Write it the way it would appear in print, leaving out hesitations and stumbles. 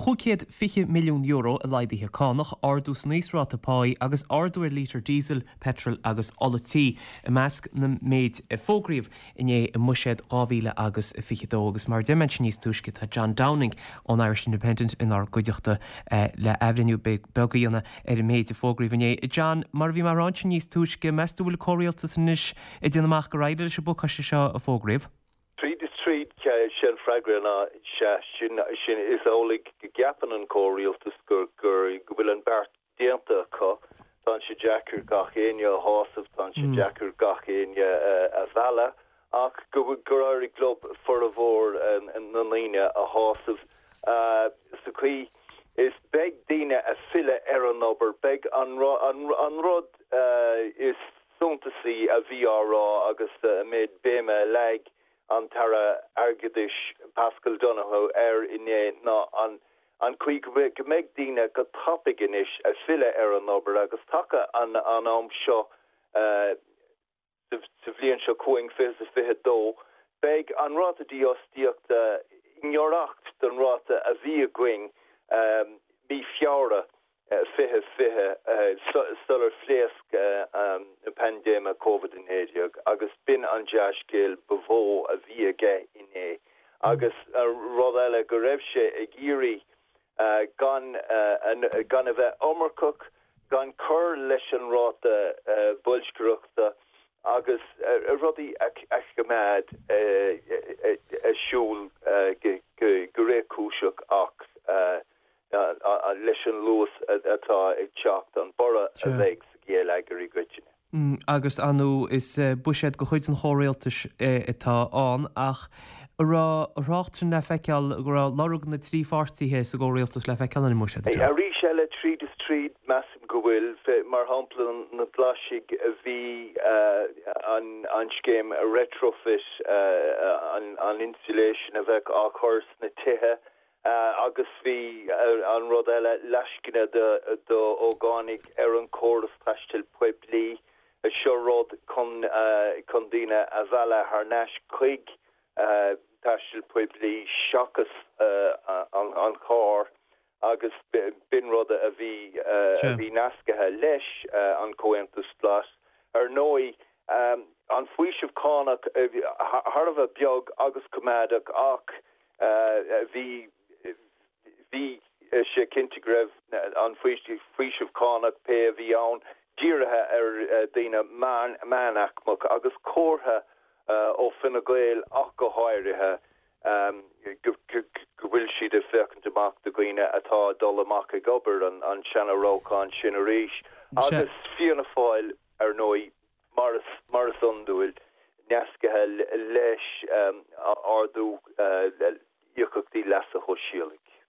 €520 milliún i laghduithe cánach, ardú san íosráta páí agus ardú ar lítear díosail, peitril agus ola tí i measc na méid a fógraíodh inné i mBuiséad 2022. Agus mar a deir mé ansin níos túisce, tá John Downing ón Irish Independent inár gcuideachta le athbhreithniú beag a dhéanamh ar an méid a fógraíodh inné. John, mar a bhí mé a rá ansin níos túisce, meas tú an bhfuil an comhrialtas anois ag déanamh amach gur éirigh leis an bpacáiste seo a fógraíodh? Tríd is tríd, sé an freagra ná sea. Sin, sin, is amhlaidh go gceapann an comhrialtas gur, gur, go bhfuil an beart déanta acu. Tá sé deacair gach éinne a shásamh, tá sé deacair gach éinne a mhealladh, ach go, gur éirigh leo formhór na ndaoine a shásamh sa chaoi is beidh daoine a' filleadh ar an obair, beidh an, an, an rud is suntasaí a bhí á rá agus an méid béime a leag an tAire Airgeadais Paschal Donohoe air inné ná an an chaoi go mbeidh daoine go tapaidh anois a' filleadh ar an obair agus taca an am seo sa bhliain seo chugainn, 2022, beidh an ráta dífhostaíochta i ngiorracht don ráta a bhí againn mí Feabhra 2020 sular phléasc an paindéime Covid-19 agus b'in an dea-scéal ba mhó a bhí aige inné. Agus rud eile, go raibh sé ag iarraidh gan gan a bheith iomarcach, gan cur leis an ráta boilscireachta agus rudaí a choimeád ag siúl go réchúiseach ach leis an luas atá ag teacht, an borradh a bheidh sa gheilleagar i gcoitinne. Agus, ar ndóigh, is buiséad de chuid an chomhrialtais atá ann, ach an raibh a thrácht sin le feiceáil, go raibh lorg na dtrí pháirtithe sa gcomhrialtas le feiceáil ar an mbuiséad, a John? Arís eile, tríd is tríd, measaim go bhfuil. Mar shampla, na Glaisigh, bhí an scéim retrofit, an insulation a bheadh á chur sna tithe, Agus bhí an rud eile, lascaine d'ógánaigh ar an chóras taistil poiblí. Seo rud chun chun daoine a mhealladh thar n-ais chuig taisteal poiblí seachas an carr agus b'in rud a bhí a bhí nascaithe leis an Comhaontas Glas. Ar ndóigh, an faoiseamh cánach thar a bheith beag agus coimeádach ach Bhí, bhí sé cinnte go raibh an faoiseamh cánach, pé a bhí ann, dírithe ar dhaoine meánaicmeach agus comhartha ó Fine Gael ach go háirithe go bhfuil siad ag féachaint amach do dhaoine atá ag dul amach ag obair, an seana-rabhchán sin arís. Agus Fianna Fáil, ar ndóigh, Mar is iondúil, nascaithe leis ardú íocaíochtaí leasa shóisialaigh.